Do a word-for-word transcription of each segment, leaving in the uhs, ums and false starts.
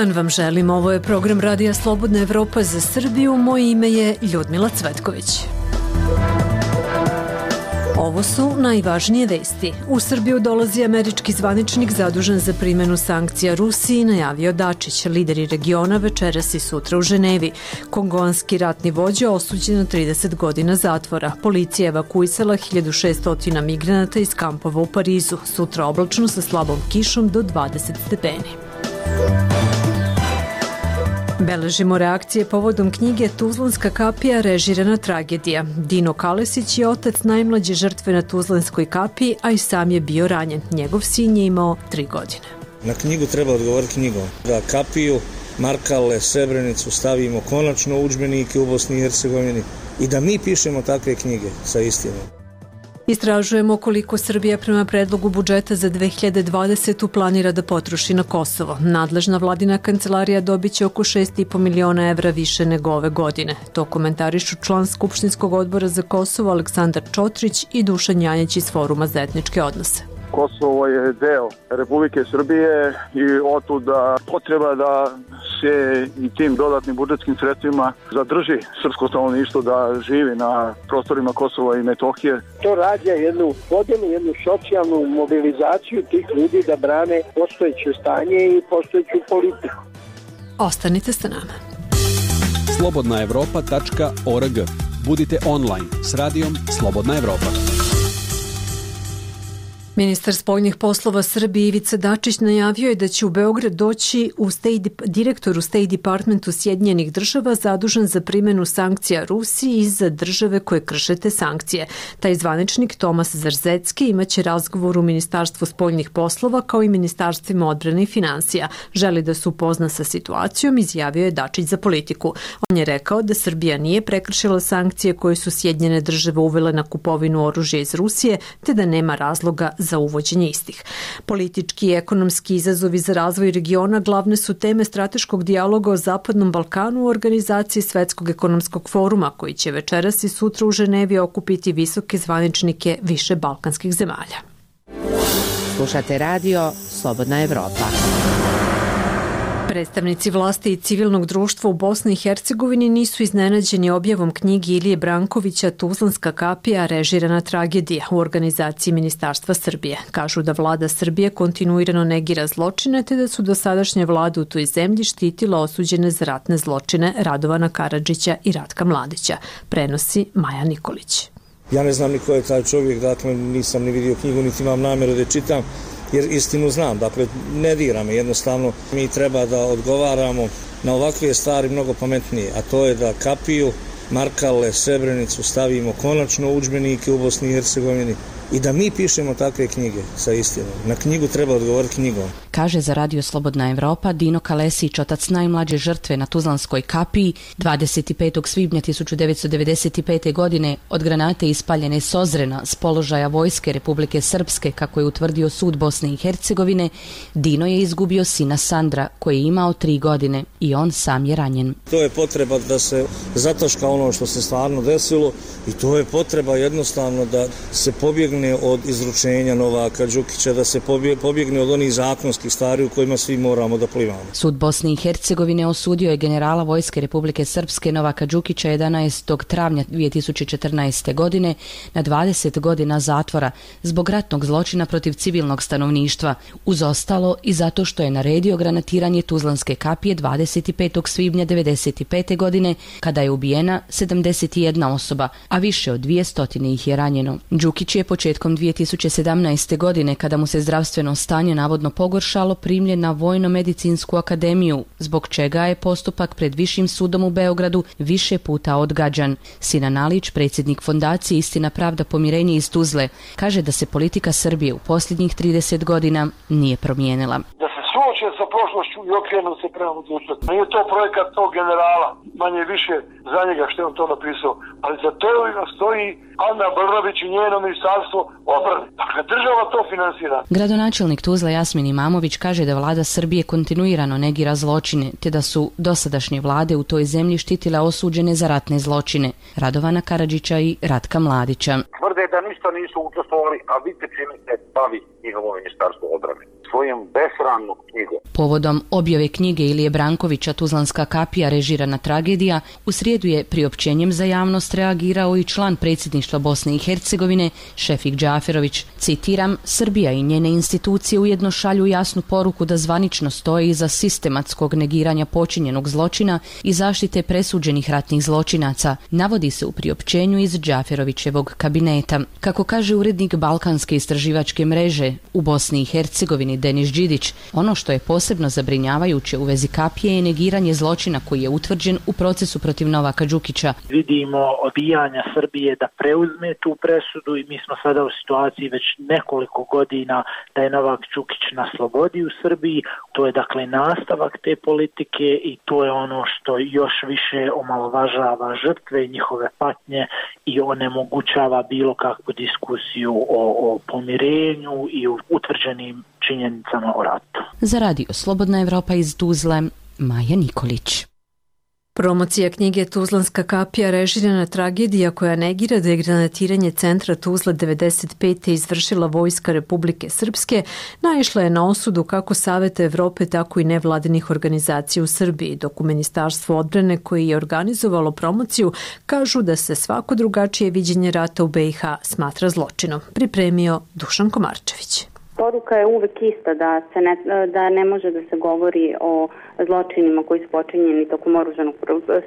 dan vam želim. Ovo je program Radija Slobodna Evropa za Srbiju. Moje ime je Ljudmila Cvetković. Ovo su najvažnije vesti. U Srbiju dolazi američki zvaničnik zadužen za primjenu sankcija Rusiji, najavio Dačić. Lideri regiona večeras i sutra u Ženevi. Kongoanski ratni vođa osuđen na trideset godina zatvora. Policija evakuisala hiljadu šesto migranata iz kampova u Parizu. Sutra oblačno sa slabom kišom do dvadeset stepeni. Beležimo reakcije povodom knjige Tuzlanska kapija, režirana tragedija. Dino Kalesić je otac najmlađe žrtve na Tuzlanskoj kapiji, a i sam je bio ranjen. Njegov sin je imao tri godine. Na knjigu treba odgovoriti knjigom. Da kapiju, Markale, Srebrenicu stavimo konačno u udžbenike u Bosni i Hercegovini i da mi pišemo takve knjige sa istinom. Istražujemo koliko Srbija prema predlogu budžeta za dve hiljade dvadesetu planira da potroši na Kosovo. Nadležna vladina kancelarija dobiće oko šest i po miliona evra više nego ove godine. To komentarišu član Skupštinskog odbora za Kosovo Aleksandar Čotrić i Dušan Janjić iz Foruma za etničke odnose. Kosovo je deo Republike Srbije i otuda potreba da se i tim dodatnim budžetskim sredstvima zadrži srpsko stanovništvo da živi na prostorima Kosova i Metohije. To rađa jednu podjelu, jednu socijalnu mobilizaciju tih ljudi da brane postojeće stanje i postojeću politiku. Ostanite sa nama. slobodna evropa tačka org. Budite online s radijom Slobodna Evropa. Ministar spoljnih poslova Srbije Ivica Dačić najavio je da će u Beograd doći u State, direktor u State Departmentu Sjedinjenih država zadužen za primjenu sankcija Rusiji i za države koje krše te sankcije. Taj zvaničnik Tomas Zarzecki imaće razgovor u Ministarstvu spoljnih poslova kao i Ministarstvima odbrane i financija. Želi da se upozna sa situacijom, izjavio je Dačić za Politiku. On je rekao da Srbija nije prekršila sankcije koje su Sjedinjene države uvele na kupovinu oružja iz Rusije, te da nema razloga za uvođenje istih. Politički i ekonomski izazovi za razvoj regiona glavne su teme strateškog dijaloga o Zapadnom Balkanu u organizaciji Svetskog ekonomskog foruma, koji će večeras i sutra u Ženevi okupiti visoke zvaničnike više balkanskih zemalja. Slušate radio Slobodna Evropa. Predstavnici vlasti i civilnog društva u Bosni i Hercegovini nisu iznenađeni objavom knjigi Ilije Brankovića Tuzlanska kapija, režirana tragedija u organizaciji Ministarstva Srbije. Kažu da vlada Srbije kontinuirano negira zločine, te da su dosadašnje vlade u toj zemlji štitila osuđene za ratne zločine Radovana Karadžića i Ratka Mladića. Prenosi Maja Nikolić. Ja ne znam ni ko je taj čovjek, dakle nisam ni vidio knjigu, niti imam namjeru da čitam, jer istinu znam, dakle ne dira me, jednostavno mi treba da odgovaramo na ovakve stvari mnogo pametnije, a to je da kapiju, Markale, Srebrenicu stavimo konačno u udžbenike u Bosni i Hercegovini i da mi pišemo takve knjige sa istinom. Na knjigu treba odgovoriti knjigom. Kaže za Radio Slobodna Evropa Dino Kalesić, otac najmlađe žrtve na Tuzlanskoj kapiji. dvadeset petog svibnja tisuću devetsto devedeset pete. godine od granate ispaljene s Ozrena s položaja vojske Republike Srpske, kako je utvrdio sud Bosne i Hercegovine, Dino je izgubio sina Sandra, koji je imao tri godine i on sam je ranjen. To je potreba da se zataška ono što se stvarno desilo i to je potreba jednostavno da se pobjegne od izručenja Novaka Đukića, da se pobjegne od onih zakonskih stvari u kojima svi moramo da plivamo. Sud Bosne i Hercegovine osudio je generala vojske Republike Srpske Novaka Đukića jedanaestog travnja dvije tisuće četrnaeste. godine na dvadeset godina zatvora zbog ratnog zločina protiv civilnog stanovništva, uz ostalo i zato što je naredio granatiranje Tuzlanske kapije dvadeset petog svibnja devedeset pete. godine, kada je ubijena sedamdeset jedna osoba, a više od dvjesto ih je ranjeno. Đukić je početkom dvije tisuće sedamnaeste. godine, kada mu se zdravstveno stanje navodno pogoršalo, primljen na Vojno-medicinsku akademiju, zbog čega je postupak pred Višim sudom u Beogradu više puta odgađan. Sinan Alić, predsjednik fondacije Istina, pravda, pomirenje iz Tuzle, kaže da se politika Srbije u posljednjih trideset godina nije promijenila. Da se suoče sa prošlošću i okrenu se prema budućnosti. Nije to projekat tog generala, manje više za njega što je on to napisao, ali za to stoji Ana Brnabić i njeno ministarstvo odbrane. Dakle, država to finansira. Gradonačelnik Tuzla Jasmin Imamović kaže da vlada Srbije kontinuirano negira zločine, te da su dosadašnje vlade u toj zemlji štitile osuđene za ratne zločine Radovana Karadžića i Ratka Mladića. Tvrde da ništa nisu učestvovali, a vidite čime se bavi njihovo ministarstvo odbrane. svojom besramnom knjigom. Povodom objave knjige Ilije Brankovića Tuzlanska kapija režirana tragedija, u srijedu je priopćenjem za javnost reagirao i član predsjedništva Bosne i Hercegovine Šefik Džaferović. Citiram, Srbija i njene institucije ujedno šalju jasnu poruku da zvanično stoje iza sistematskog negiranja počinjenog zločina i zaštite presuđenih ratnih zločinaca, navodi se u priopćenju iz Džaferovićevog kabineta. Kako kaže urednik Balkanske istraživačke mreže u Bosni i Hercegovini Denis Đidić, ono što je posebno zabrinjavajuće u vezi kapije je negiranje zločina koji je utvrđen u procesu protiv Novaka Đukića. Vidimo odbijanja Srbije da preuzme tu presudu i mi smo sada u situaciji već nekoliko godina da je Novak Đukić na slobodi u Srbiji. To je dakle nastavak te politike i to je ono što još više omalovažava žrtve i njihove patnje i onemogućava bilo kakvu diskusiju o, o pomirenju i o utvrđenim činjenicama o ratu. Za radio Slobodna Evropa iz Tuzle, Maja Nikolić. Promocija knjige Tuzlanska kapija režirana tragedija koja negira da je granatiranje centra Tuzla devedeset pete izvršila Vojska Republike Srpske naišla je na osudu kako Saveta Evrope tako i nevladinih organizacija u Srbiji, dok u Ministarstvu odbrane koji je organizovalo promociju kažu da se svako drugačije viđenje rata u be i ha smatra zločinom. Pripremio Dušan Komarčević. Poruka je uvek ista da se ne, da ne može da se govori o zločinima koji su počinjeni tokom oružanog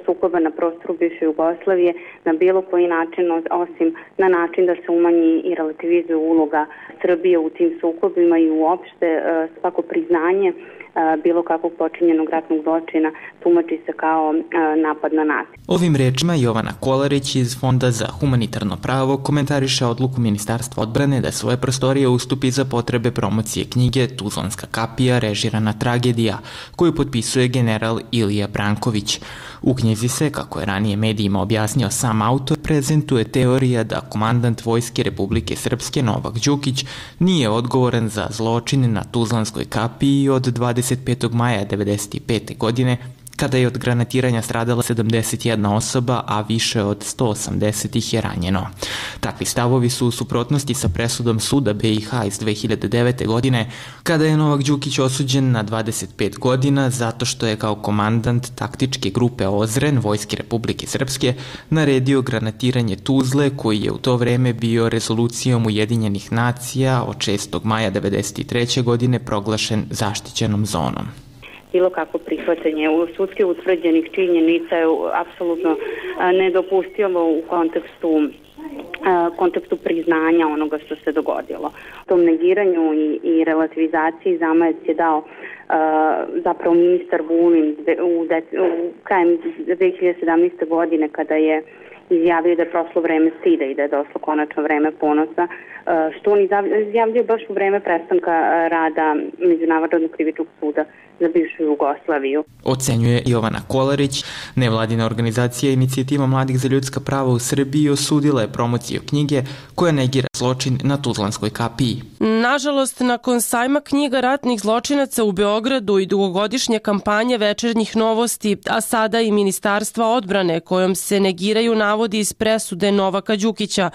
sukoba na prostoru bivše Jugoslavije na bilo koji način osim na način da se umanji i relativizuje uloga Srbije u tim sukobima i uopšte svako priznanje bilo kakvog počinjenog ratnog zločina tumači se kao napad na nas. Ovim rečima Jovana Kolarić iz Fonda za humanitarno pravo komentariše odluku Ministarstva odbrane da svoje prostorije ustupi za potrebe promocije knjige Tuzlanska kapija režirana tragedija, koju potpisuje general Ilija Branković. U knjizi se, kako je ranije medijima objasnio sam autor, prezentuje teorija da komandant Vojske Republike Srpske Novak Đukić nije odgovoran za zločine na Tuzlanskoj kapiji od dvadeset petog maja devedeset pete. godine, kada je od granatiranja stradala sedamdeset jedna osoba, a više od sto osamdeset ih je ranjeno. Takvi stavovi su u suprotnosti sa presudom suda be i ha iz dve hiljade devete. godine, kada je Novak Đukić osuđen na dvadeset pet godina zato što je kao komandant taktičke grupe Ozren Vojske Republike Srpske naredio granatiranje Tuzle, koji je u to vreme bio rezolucijom Ujedinjenih nacija od šestog maja devedeset treće. godine proglašen zaštićenom zonom. Bilo kako prihvatanje u sudski utvrđenih činjenica je apsolutno nedopustivo u kontekstu kontekstu priznanja onoga što se dogodilo. U tom negiranju i, i relativizaciji zamajac je dao uh, zapravo ministar Vulin u, u krajem dve hiljade sedamnaeste. godine kada je izjavio da je prošlo vreme stida i da je došlo konačno vreme ponosa, što on izjavljuje baš u vreme prestanka rada Međunarodnog krivičnog suda za bivšu Jugoslaviju. Ocenjuje Jovana Kolarić. Nevladina organizacija Inicijativa mladih za ljudska prava u Srbiji osudila je promociju knjige koja negira zločin na Tuzlanskoj kapiji. Nažalost, nakon sajma knjiga ratnih zločinaca u Beogradu i dugogodišnje kampanje Večernjih novosti, a sada i Ministarstva odbrane kojom se negiraju navodi iz presude Novaka Đukića,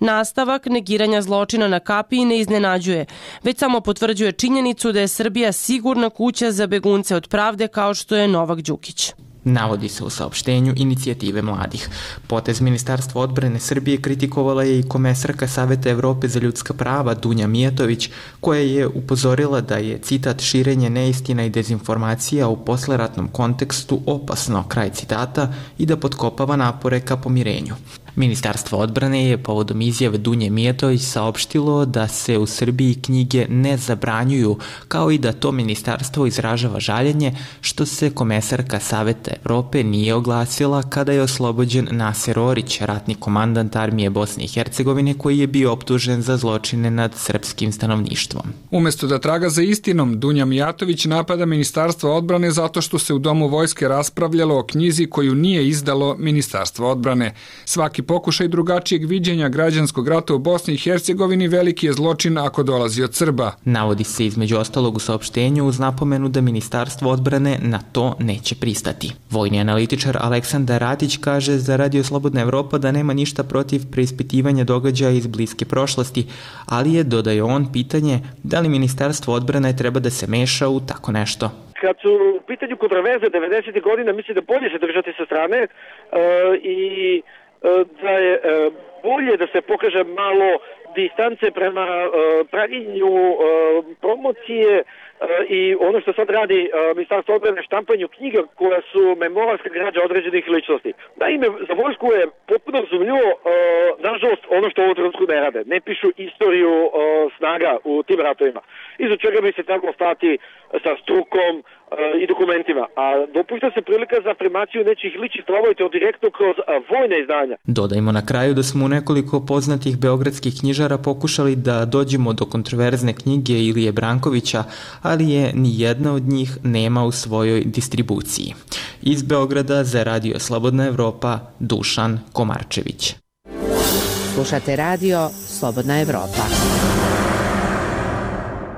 nastavak negiranja zločina na kapiji ne iznenađuje, već samo potvrđuje činjenicu da je Srbija sigurna kuća za begunce od pravde kao što je Novak Đukić. Navodi se u saopštenju Inicijative mladih. Potez Ministarstva odbrane Srbije kritikovala je i komesarka Saveta Evrope za ljudska prava Dunja Mijatović, koja je upozorila da je, citat, širenje neistina i dezinformacija u posleratnom kontekstu opasno, kraj citata, i da potkopava napore ka pomirenju. Ministarstvo odbrane je povodom izjave Dunje Mijatović saopštilo da se u Srbiji knjige ne zabranjuju, kao i da to ministarstvo izražava žaljenje što se komesarka Saveta Evrope nije oglasila kada je oslobođen Naser Orić, ratni komandant armije Bosne i Hercegovine, koji je bio optužen za zločine nad srpskim stanovništvom. Umesto da traga za istinom, Dunja Mijatović napada Ministarstvo odbrane zato što se u Domu vojske raspravljalo o knjizi koju nije izdalo Ministarstvo odbrane. Svaki pokušaj drugačijeg viđenja građanskog rata u Bosni i Hercegovini veliki je zločin ako dolazi od Srba. Navodi se između ostalog u saopštenju uz napomenu da Ministarstvo odbrane na to neće pristati. Vojni analitičar Aleksandar Radić kaže za Radio Slobodna Evropa da nema ništa protiv preispitivanja događaja iz bliske prošlosti, ali je, dodaje on, pitanje da li Ministarstvo odbrane treba da se meša u tako nešto. Kad su u pitanju kontroverze devedesetih godina, mislim da bolje se držati sa strane e, i e, da je e, bolje da se pokaže malo distance prema e, pravilnju e, promocije e, i ono što sad radi e, Ministarstvo odbrane, štampanju knjiga koja su memoralska građa određenih ličnosti. Naime, za vojsku je potpuno razumljivo, e, nažalost, ono što u ovom trenutku ne rade. Ne pišu istoriju e, snaga u tim ratovima. Iza čega bi se trebalo stati sa strukom e, i dokumentima. A dopušta se prilika za afirmaciju nečih ličnih stavova i to direktno kroz a, vojne izdanja. Dodajmo na kraju da smo u nekoliko poznatih beogradskih knjižara pokušali da dođemo do kontroverzne knjige Ilije Brankovića, ali je ni jedna od njih nema u svojoj distribuciji. Iz Beograda za Radio Slobodna Evropa, Dušan Komarčević. Slušate Radio Slobodna Evropa.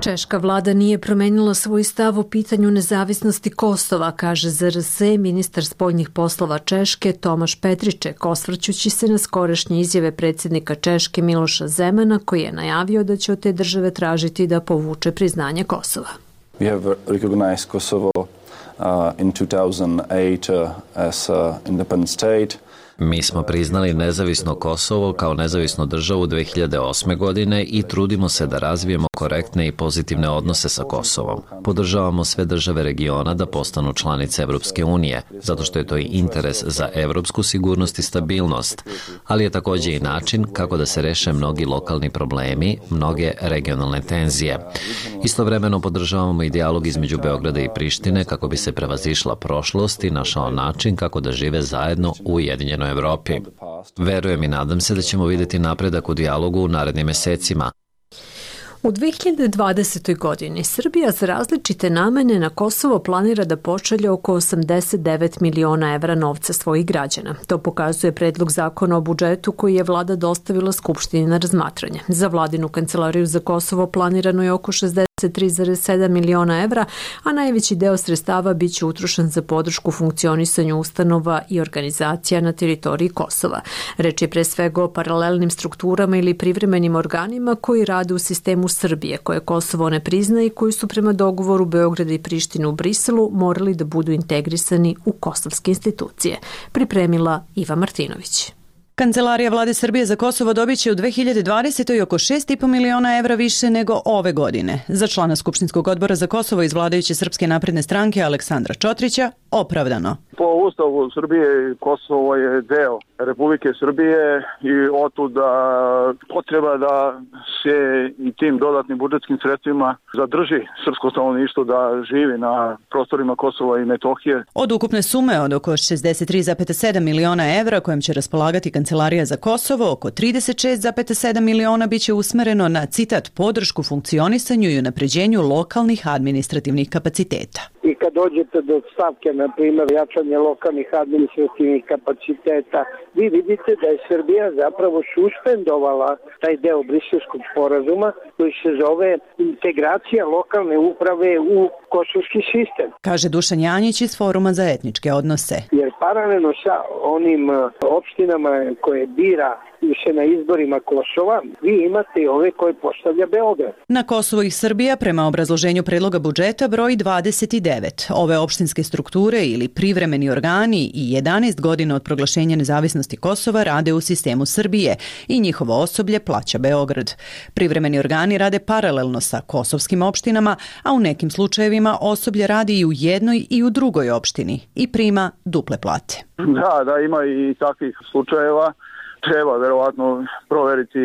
Češka vlada nije promenila svoj stav o pitanju nezavisnosti Kosova, kaže Z R S ministar spoljnih poslova Češke Tomaš Petriček, osvrćući se na skorašnje izjave predsjednika Češke Miloša Zemana, koji je najavio da će od te države tražiti da povuče priznanje Kosova. We have recognized Kosovo uh, in two thousand eight uh, as an independent state. Mi smo priznali nezavisno Kosovo kao nezavisnu državu dve hiljade osme. godine i trudimo se da razvijemo korektne i pozitivne odnose sa Kosovom. Podržavamo sve države regiona da postanu članice Evropske unije, zato što je to i interes za evropsku sigurnost i stabilnost, ali je također i način kako da se reše mnogi lokalni problemi, mnoge regionalne tenzije. Istovremeno podržavamo i dijalog između Beograda i Prištine kako bi se prevazišla prošlost i našao način kako da žive zajedno u Ujedinjenoj Evropi. Verujem i nadam se da ćemo vidjeti napredak u dijalogu u narednim mesecima. U dve hiljade dvadesetoj. godini Srbija za različite namene na Kosovo planira da pošalje oko osamdeset devet miliona evra novca svojih građana. To pokazuje predlog zakona o budžetu koji je vlada dostavila Skupštini na razmatranje. Za vladinu kancelariju za Kosovo planirano je oko šezdeset tri zarez sedam miliona evra, a najveći deo sredstava biće utrošen za podršku funkcionisanju ustanova i organizacija na teritoriji Kosova. Reč je pre svega o paralelnim strukturama ili privremenim organima koji rade u sistemu Srbije, koje Kosovo ne priznaje i koji su prema dogovoru Beograda i Prištine u Briselu morali da budu integrisani u kosovske institucije. Pripremila Iva Martinović. Kancelarija vlade Srbije za Kosovo dobit će u dve hiljade dvadesetoj. oko šest i po miliona evra više nego ove godine. Za člana Skupštinskog odbora za Kosovo iz vladajuće Srpske napredne stranke Aleksandra Čotrića opravdano. Po Ustavu Srbije Kosovo je deo Republike Srbije i otuda potreba da se i tim dodatnim budžetskim sredstvima zadrži srpsko stanovništvo da živi na prostorima Kosova i Metohije. Od ukupne sume od oko šezdeset tri zarez sedam miliona evra kojim će raspolagati Kancelarija za Kosovo, oko trideset šest zarez sedam miliona biće usmereno na, citat, podršku funkcionisanju i unapređenju lokalnih administrativnih kapaciteta. I kad dođete do stavke, na primjer, jačanje lokalnih administrativnih kapaciteta, vi vidite da je Srbija zapravo suspendovala taj deo briselskog sporazuma koji se zove integracija lokalne uprave u kosovski sistem. Kaže Dušan Janjić iz Foruma za etničke odnose. Jer paralelno sa onim opštinama koje bira se na izborima Kosova, vi imate i ove koje postavlja Beograd. Na Kosovo ih Srbija prema obrazloženju predloga budžeta broji dvadeset devet. Ove opštinske strukture ili privremeni organi i jedanaest godina od proglašenja nezavisnosti Kosova rade u sistemu Srbije i njihovo osoblje plaća Beograd. Privremeni organi rade paralelno sa kosovskim opštinama, a u nekim slučajevima osoblje radi i u jednoj i u drugoj opštini i prima duple plate. Da, da, ima i takvih slučajeva. Treba verovatno proveriti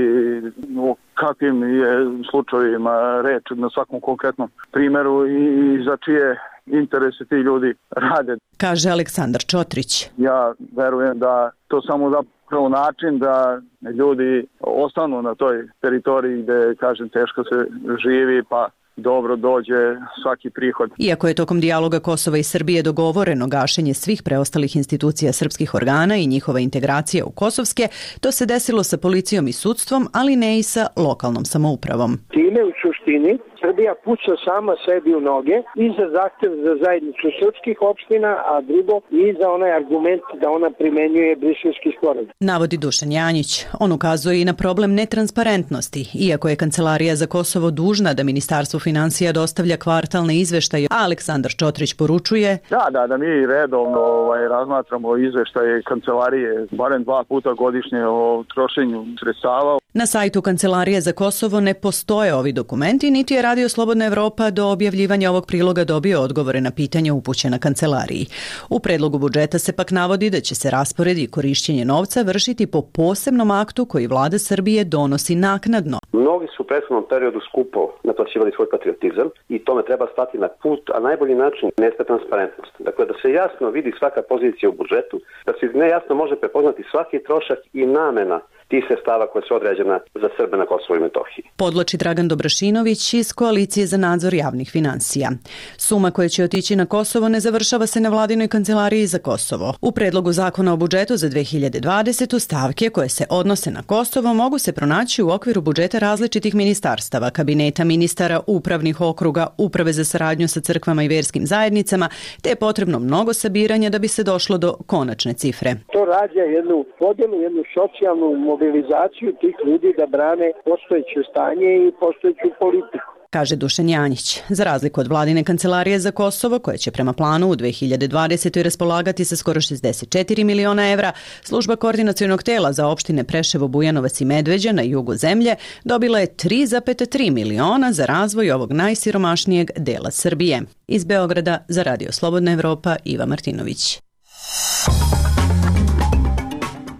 o kakvim je slučajevima reč na svakom konkretnom primjeru i za čije interese ti ljudi rade. Kaže Aleksandar Čotrić. Ja verujem da to samo zapravo način da ljudi ostanu na toj teritoriji gde, kažem, teško se živi, pa dobro dođe svaki prihod. Iako je tokom dijaloga Kosova i Srbije dogovoreno gašenje svih preostalih institucija srpskih organa i njihova integracija u kosovske, to se desilo sa policijom i sudstvom, ali ne i sa lokalnom samoupravom. Time u suštini Srbija puca sama sebi u noge i za zahtev za zajednicu srpskih opština, a drugo i za onaj argument da ona primenjuje Briselski sporazum. Navodi Dušan Janjić. On ukazuje i na problem netransparentnosti, iako je Kancelarija za Kosovo dužna da Ministarstvo finansija dostavlja kvartalne izveštaje, a Aleksandar Čotrić poručuje Da, da, da mi redovno ovaj, razmatramo izveštaje Kancelarije barem dva puta godišnje o trošenju sredstava. Na sajtu Kancelarije za Kosovo ne postoje ovi dokumenti, niti je Radio Slobodna Evropa do objavljivanja ovog priloga dobio odgovore na pitanja upućena Kancelariji. U predlogu budžeta se pak navodi da će se raspored i korišćenje novca vršiti po posebnom aktu koji vlada Srbije donosi naknadno. Mnogi su u prethodnom periodu skupo naplaćivali svoj patriotizam i tome treba stati na put, a najbolji način jeste transparentnost. Dakle, da se jasno vidi svaka pozicija u budžetu, da se nejasno može prepoznati svaki trošak i namena tih sredstava koje su određena za Srbe na Kosovu i Metohiji. Podloči Dragan Dobrašinović iz Koalicije za nadzor javnih finansija. Suma koja će otići na Kosovo ne završava se na vladinoj Kancelariji za Kosovo. U predlogu zakona o budžetu za dve hiljade dvadesetu stavke koje se odnose na Kosovo mogu se pronaći u okviru budžeta različitih ministarstava, kabineta ministara, upravnih okruga, uprave za saradnju sa crkvama i verskim zajednicama, te je potrebno mnogo sabiranja da bi se došlo do konačne cifre. To rađa jednu podjelu, jednu socijalnu mobilizaciju tih ljudi da brane postojeće stanje i postojeću politiku. Kaže Dušan Janjić. Za razliku od vladine Kancelarije za Kosovo, koja će prema planu u dve hiljade dvadesetoj raspolagati sa skoro šezdeset četiri miliona evra, služba koordinacionog tela za opštine Preševo, Bujanovac i Medveđa na jugu zemlje dobila je tri zarez tri miliona za razvoj ovog najsiromašnijeg dela Srbije. Iz Beograda za Radio Slobodna Evropa, Iva Martinović.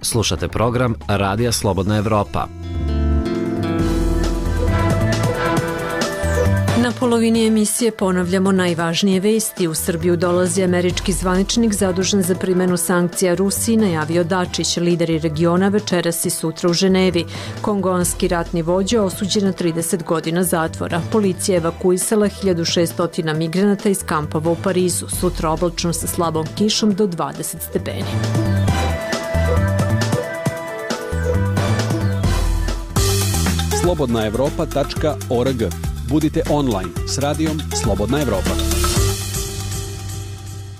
Slušate program Radija Slobodna Evropa. Na polovini emisije ponavljamo najvažnije vesti. U Srbiju dolazi američki zvaničnik zadužen za primjenu sankcija Rusiji, najavio Dačić. Lideri regiona večeras i sutra u Ženevi. Kongoanski ratni vođa osuđen na trideset godina zatvora. Policija evakuisala hiljadu šesto migranata iz kampova u Parizu. Sutra oblačno sa slabom kišom do dvadeset stepeni. slobodna evropa tačka org. Budite online s radijom Slobodna Evropa.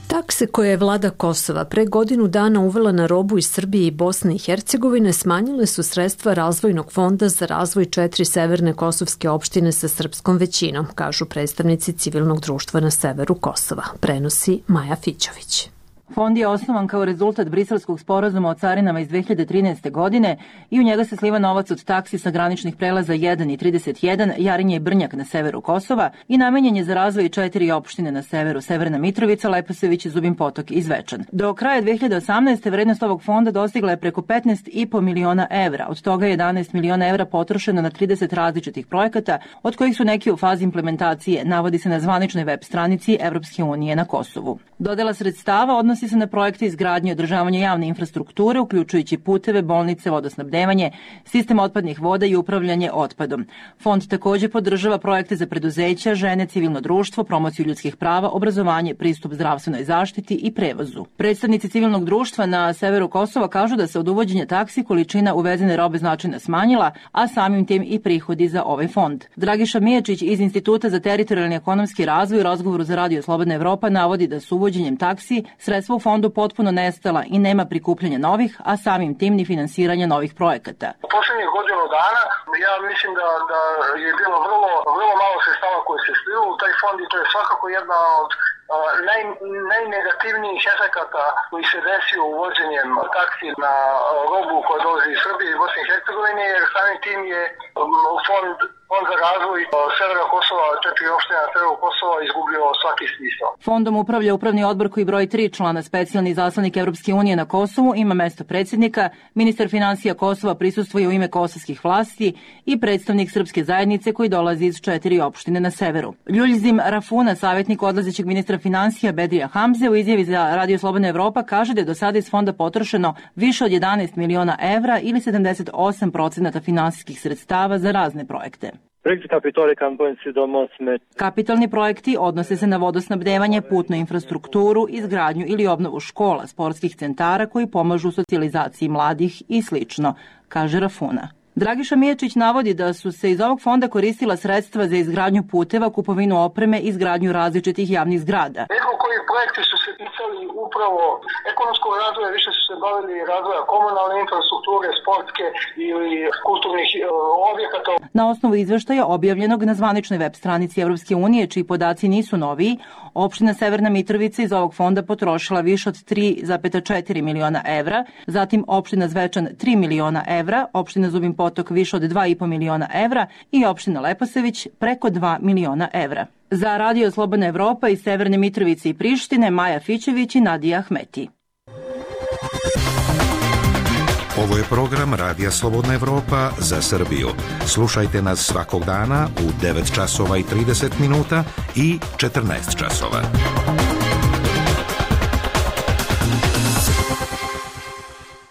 Takse koje je vlada Kosova pre godinu dana uvela na robu iz Srbije i Bosne i Hercegovine smanjile su sredstva Razvojnog fonda za razvoj četiri severne kosovske opštine sa srpskom većinom, kažu predstavnici civilnog društva na severu Kosova, prenosi Maja Fićović. Fond je osnovan kao rezultat briselskog sporazuma o carinama iz dve hiljade trinaeste. godine i u njega se sliva novac od taksi sa graničnih prelaza jedan i trideset jedan, Jarinje i Brnjak na severu Kosova i namenjen je za razvoj četiri opštine na severu, Severna Mitrovica, Leposević, Zubin Potok i Zvečan. Do kraja dve hiljade osamnaeste. vrednost ovog fonda dostigla je preko petnaest i po miliona evra, od toga je jedanaest miliona evra potrošeno na trideset različitih projekata, od kojih su neki u fazi implementacije, navodi se na zvaničnoj web stranici Evropske unije na Kosovu. Dodela sredstava odnosi se na projekte izgradnje i održavanja javne infrastrukture, uključujući puteve, bolnice, vodosnabdevanje, sistem otpadnih voda i upravljanje otpadom. Fond također podržava projekte za preduzeća, žene, civilno društvo, promociju ljudskih prava, obrazovanje, pristup zdravstvenoj zaštiti i prevozu. Predstavnici civilnog društva na severu Kosova kažu da se od uvođenja taksi količina uvezene robe značajno smanjila, a samim tim i prihodi za ovaj fond. Dragiša Mijačić iz Instituta za teritorijalni ekonomski razvoj u razgovoru za Radio Slobodna Evropa navodi da su uvođenjem taksi sredstva u fondu potpuno nestala i nema prikupljanja novih, a samim tim ni finansiranja novih projekata. U posljednjih godinu dana ja mislim da, da je bilo vrlo, vrlo malo sredstava koje se slilo u taj fond i to je svakako jedna od Naj, najnegativnijih efekata koji se desio uvođenjem taksi na robu koja dolazi iz Srbije i Bosne i Hercegovine, jer samim tim je fond, fond za razvoj severa Kosova, četiri opštine na severu Kosova izgubio svaki smisao. Fondom upravlja upravni odbor koji broji tri člana, specijalni izaslanik Evropske unije na Kosovu, ima mesto predsjednika, ministar finansija Kosova prisustvuje u ime kosovskih vlasti i predstavnik srpske zajednice koji dolazi iz četiri opštine na severu. Ljuljzim Rafuna, savjetnik odlazećeg ministra finansija Bedrija Hamze, u izjavi za Radio Slobodna Evropa kaže da je do sada iz fonda potrošeno više od jedanaest miliona evra ili sedamdeset osam procenata finansijskih sredstava za razne projekte. Kapitalni projekti odnose se na vodosnabdevanje, putnu infrastrukturu, izgradnju ili obnovu škola, sportskih centara koji pomažu socijalizaciji mladih i slično, kaže Rafuna. Dragiša Mijačić navodi da su se iz ovog fonda koristila sredstva za izgradnju puteva, kupovinu opreme i izgradnju različitih javnih zgrada. Nekako koji projekti su se ticali upravo ekonomskog razvoja, više su se bavili razvoja komunalne infrastrukture, sportske ili kulturnih objekata. Na osnovu izveštaja objavljenog na zvaničnoj web stranici Evropske unije, čiji podaci nisu noviji, opština Severna Mitrovica iz ovog fonda potrošila više od tri zarez četiri miliona evra, zatim opština Zvečan tri miliona evra, opština Zubin Potok više od dva i po miliona evra i opština Leposavić preko dva miliona evra. Za Radio Slobodna Evropa iz Severne Mitrovice i Prištine, Maja Fićević i Nadija Ahmeti. Ovo je program Radija Slobodna Evropa za Srbiju. Slušajte nas svakog dana u devet časova i trideset minuta i četrnaest časova.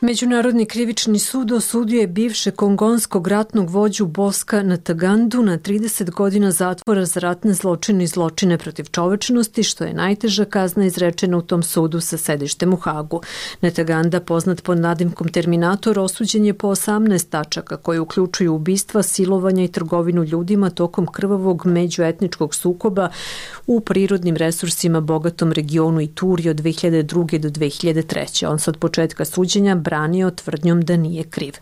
Međunarodni krivični sud osudio je bivše kongonskog ratnog vođu Boska Natagandu na trideset godina zatvora za ratne zločine i zločine protiv čovečnosti, što je najteža kazna izrečena u tom sudu sa sedištem u Hagu. Nataganda, poznat pod nadimkom Terminator, osuđen je po osamnaest tačaka koje uključuju ubistva, silovanja i trgovinu ljudima tokom krvavog međuetničkog sukoba u prirodnim resursima bogatom regionu Ituri od dve hiljade druge do dve hiljade treće. On se od početka suđenja branio tvrdnjom da nije kriv.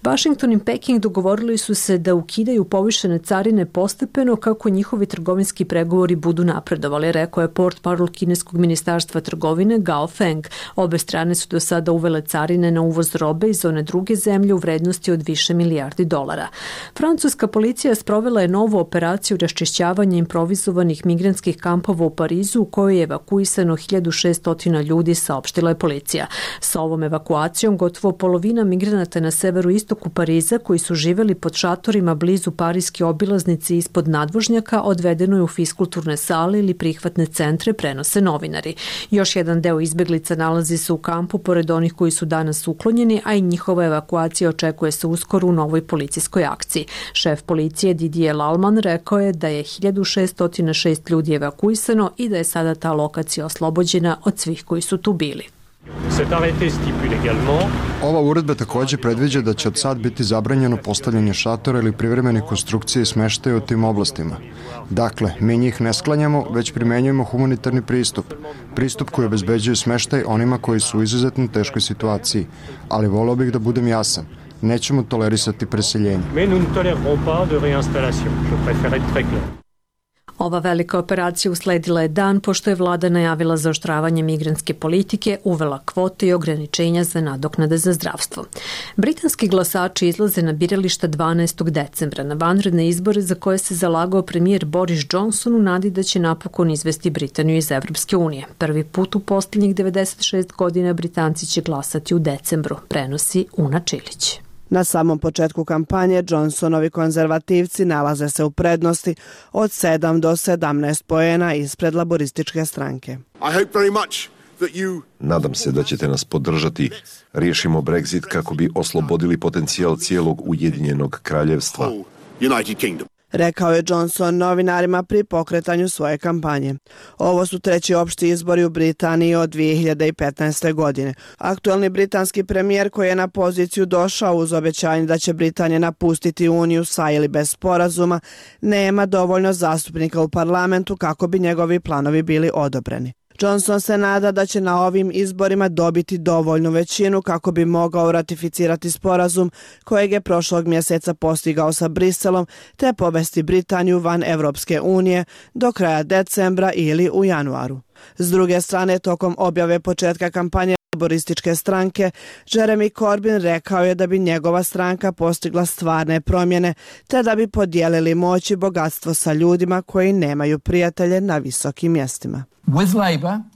Washington i Peking dogovorili su se da ukidaju povišene carine postepeno kako njihovi trgovinski pregovori budu napredovali, rekao je portparol kineskog ministarstva trgovine Gao Feng. Obe strane su do sada uvele carine na uvoz robe iz one druge zemlje u vrednosti od više milijardi dolara. Francuska policija sprovela je novu operaciju raščišćavanja improvizovanih migrantskih kampova u Parizu u kojoj je evakuisano hiljadu šesto ljudi, saopštila je policija. Sa ovom evakuacijom gotovo polovina migranata na severu istoku Pariza koji su živeli pod šatorima blizu parijske obilaznice ispod nadvožnjaka odvedeno je u fiskulturne sale ili prihvatne centre, prenose novinari. Još jedan deo izbeglica nalazi se u kampu pored onih koji su danas uklonjeni, a i njihova evakuacija očekuje se uskoro u novoj policijskoj akciji. Šef policije Didier Lalman rekao je da je hiljadu šesto šest ljudi evakuisano i da je sada ta lokacija oslobođena od svih koji su tu bili. Ova uredba takođe predviđa da će od sad biti zabranjeno postavljanje šatora ili privremene konstrukcije i smeštaja u tim oblastima. Dakle, mi njih ne sklanjamo, već primenjujemo humanitarni pristup. Pristup koji obezbeđuje smeštaj onima koji su u izuzetno teškoj situaciji. Ali voleo bih da budem jasan. Nećemo tolerisati preseljenje. Ova velika operacija usledila je dan pošto je vlada najavila zaoštravanje migrantske politike, uvela kvote i ograničenja za nadoknade za zdravstvo. Britanski glasači izlaze na birališta dvanaestog decembra na vanredne izbore za koje se zalagao premijer Boris Johnson u nadi da će napokon izvesti Britaniju iz Evropske unije. Prvi put u posljednjih devedeset šest godina Britanci će glasati u decembru, prenosi Una Čilić. Na samom početku kampanje Johnsonovi konzervativci nalaze se u prednosti od sedam do sedamnaest poena ispred laborističke stranke. Nadam se da ćete nas podržati. Riješimo Brexit kako bi oslobodili potencijal cijelog Ujedinjenog kraljevstva. Rekao je Johnson novinarima pri pokretanju svoje kampanje. Ovo su treći opšti izbori u Britaniji od dve hiljade petnaeste. godine. Aktuelni britanski premijer koji je na poziciju došao uz obećanje da će Britanija napustiti Uniju sa ili bez sporazuma, nema dovoljno zastupnika u parlamentu kako bi njegovi planovi bili odobreni. Johnson se nada da će na ovim izborima dobiti dovoljnu većinu kako bi mogao ratificirati sporazum kojeg je prošlog mjeseca postigao sa Briselom te povesti Britaniju van Evropske unije do kraja decembra ili u januaru. S druge strane, tokom objave početka kampanje laborističke stranke, Jeremy Corbyn rekao je da bi njegova stranka postigla stvarne promjene te da bi podijelili moć i bogatstvo sa ljudima koji nemaju prijatelje na visokim mjestima.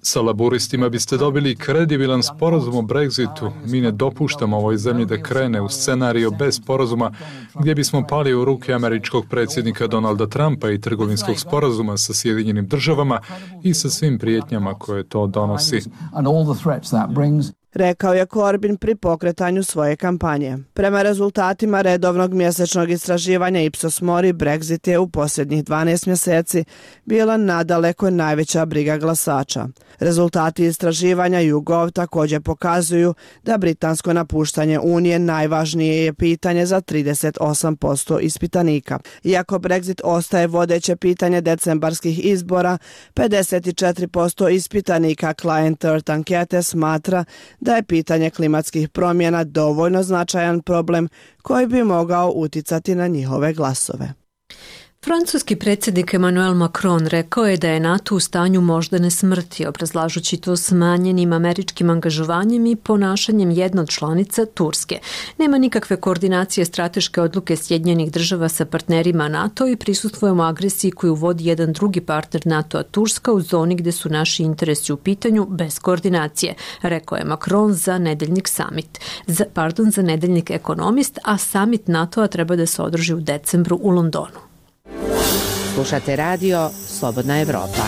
Sa laboristima biste dobili kredibilan sporazum o Brexitu. Mi ne dopuštamo ovoj zemlji da krene u scenario bez sporazuma gdje bismo pali u ruke američkog predsjednika Donalda Trumpa i trgovinskog sporazuma sa Sjedinjenim državama i sa svim prijetnjama koje to donosi. rekao je Corbyn pri pokretanju svoje kampanje. Prema rezultatima redovnog mjesečnog istraživanja Ipsos Mori, Brexit je u posljednjih dvanaest mjeseci bila nadaleko najveća briga glasača. Rezultati istraživanja YouGov također pokazuju da britansko napuštanje Unije najvažnije je pitanje za trideset osam posto ispitanika. Iako Brexit ostaje vodeće pitanje decembarskih izbora, pedeset četiri posto ispitanika Client Earth ankete smatra da je pitanje klimatskih promjena dovoljno značajan problem koji bi mogao uticati na njihove glasove. Francuski predsjednik Emmanuel Macron rekao je da je NATO u stanju moždane smrti, obrazlažući to smanjenim američkim angažovanjem i ponašanjem jedne od članica Turske. Nema nikakve koordinacije strateške odluke Sjedinjenih država sa partnerima NATO i prisustvujemo agresiji koju vodi jedan drugi partner NATO-a, Turska, u zoni gdje su naši interesi u pitanju bez koordinacije, rekao je Macron za nedeljnik summit. Za, pardon, za nedeljnik Ekonomist, a summit NATO-a treba da se održi u decembru u Londonu. Slušate radio Slobodna Evropa.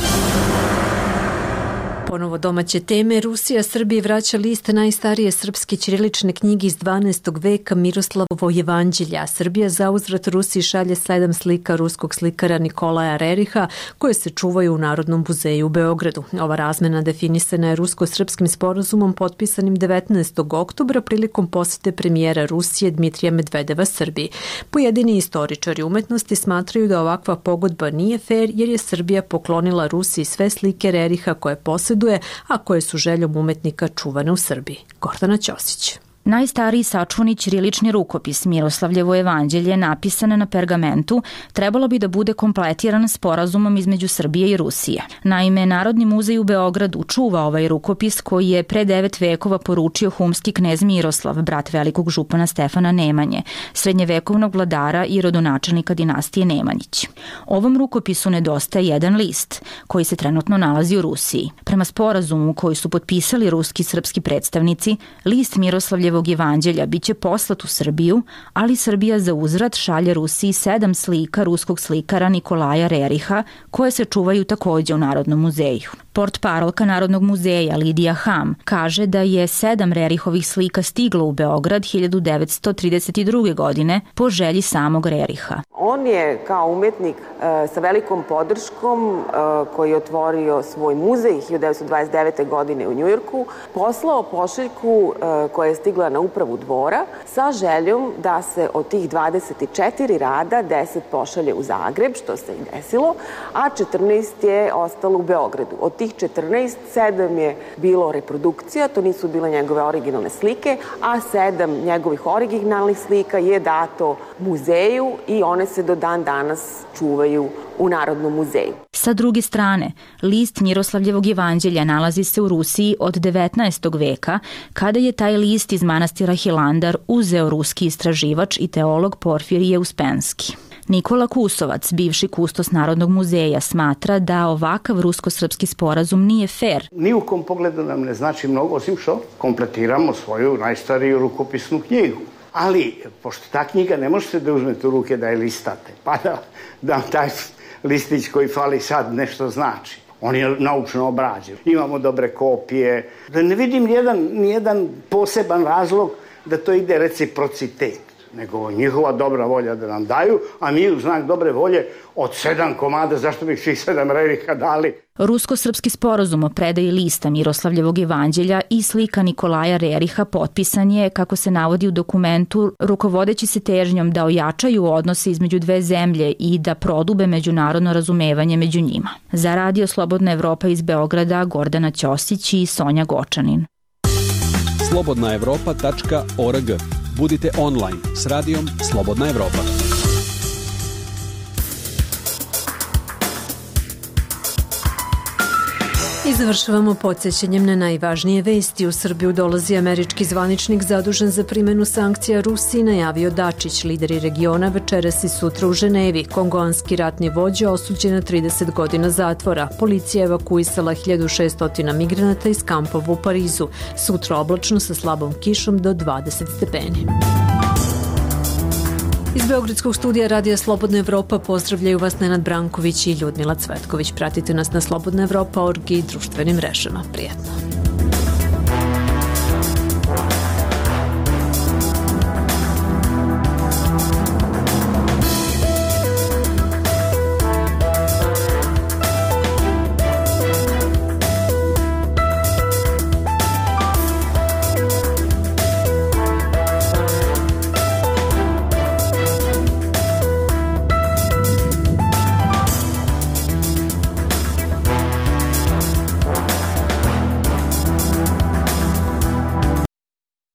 Ponovo domaće teme. Rusija Srbiji vraća list najstarije srpske ćirilične knjige iz dvanaestog veka Miroslavovo jevanđelje. Srbija zauzvrat Rusiji šalje sedam slika ruskog slikara Nikolaja Reriha koje se čuvaju u Narodnom muzeju u Beogradu. Ova razmena definisana je rusko-srpskim sporazumom potpisanim devetnaestog oktobra prilikom posjete premijera Rusije Dmitrija Medvedeva Srbiji. Pojedini istoričari umetnosti smatraju da ovakva pogodba nije fer jer je Srbija poklonila Rusiji sve slike Reriha koje posjeduje, a koje su željom umetnika čuvane u Srbiji. Gordana Ćosić. Najstariji sačuvani ćirilični rukopis Miroslavljevo evanđelje napisan na pergamentu trebalo bi da bude kompletiran sporazumom između Srbije i Rusije. Naime, Narodni muzej u Beogradu čuva ovaj rukopis koji je pre devet vekova poručio humski knez Miroslav, brat velikog župana Stefana Nemanje, srednjevekovnog vladara i rodonačelnika dinastije Nemanjić. Ovom rukopisu nedostaje jedan list koji se trenutno nalazi u Rusiji. Prema sporazumu koji su potpisali ruski i srpski predstavnici, list Miroslavljevo evanđelja biće poslat u Srbiju, ali Srbija za uzvrat šalje Rusiji sedam slika ruskog slikara Nikolaja Reriha koje se čuvaju također u Narodnom muzeju. Portparolka Narodnog muzeja Lidija Ham kaže da je sedam Rerihovih slika stiglo u Beograd hiljadu devetsto trideset druge. godine po želji samog Reriha. On je kao umetnik e, sa velikom podrškom e, koji je otvorio svoj muzej hiljadu devetsto dvadeset devete. godine u Njujorku poslao pošiljku e, koja je stigla na upravu dvora sa željom da se od tih dvadeset četiri rada deset pošalje u Zagreb, što se i desilo, a četrnaest je ostalo u Beogradu. Od tih četrnaest, sedam je bilo reprodukcija, to nisu bile njegove originalne slike, a sedam njegovih originalnih slika je dato muzeju i one se do dan danas čuvaju u Narodnom muzeju. Sa druge strane, list Miroslavljevog evanđelja nalazi se u Rusiji od devetnaestog veka, kada je taj list iz manastira Hilandar uzeo ruski istraživač i teolog Porfirije Uspenski. Nikola Kusovac, bivši kustos Narodnog muzeja, smatra da ovakav rusko-srpski sporazum nije fer. Ni u kom pogledu nam ne znači mnogo, osim što kompletiramo svoju najstariju rukopisnu knjigu. Ali, pošto ta knjiga ne možete da uzmete u ruke da je listate, pa da, da taj listić koji fali sad nešto znači. On je naučno obrađen. Imamo dobre kopije. Da ne vidim nijedan, nijedan poseban razlog da to ide reciprocitet, nego njihova dobra volja da nam daju, a mi u znak dobre volje od sedam komada, zašto bih svih sedam Reriha dali? Rusko-srpski sporazum o predaji lista Miroslavljevog evanđelja i slika Nikolaja Reriha potpisan je, kako se navodi u dokumentu, rukovodeći se težnjom da ojačaju odnose između dve zemlje i da prodube međunarodno razumevanje među njima. Za Radio Slobodna Evropa iz Beograda, Gordana Ćosić i Sonja Gočanin. slobodna evropa tačka org. Budite online s radijom Slobodna Evropa. I završavamo podsjećanjem na najvažnije vesti. U Srbiju dolazi američki zvaničnik zadužen za primjenu sankcija Rusiji, najavio Dačić. Lideri regiona večeras i sutra u Ženevi. Kongoanski ratni vođa osuđen na trideset godina zatvora. Policija evakuisala hiljadu šesto migranata iz kampova u Parizu. Sutra oblačno sa slabom kišom do dvadeset stepeni. Iz Beogradskog studija Radija Slobodna Evropa pozdravljaju vas Nenad Branković i Ljudmila Cvetković. Pratite nas na slobodna evropa tačka org i društvenim mrežama. Prijetno.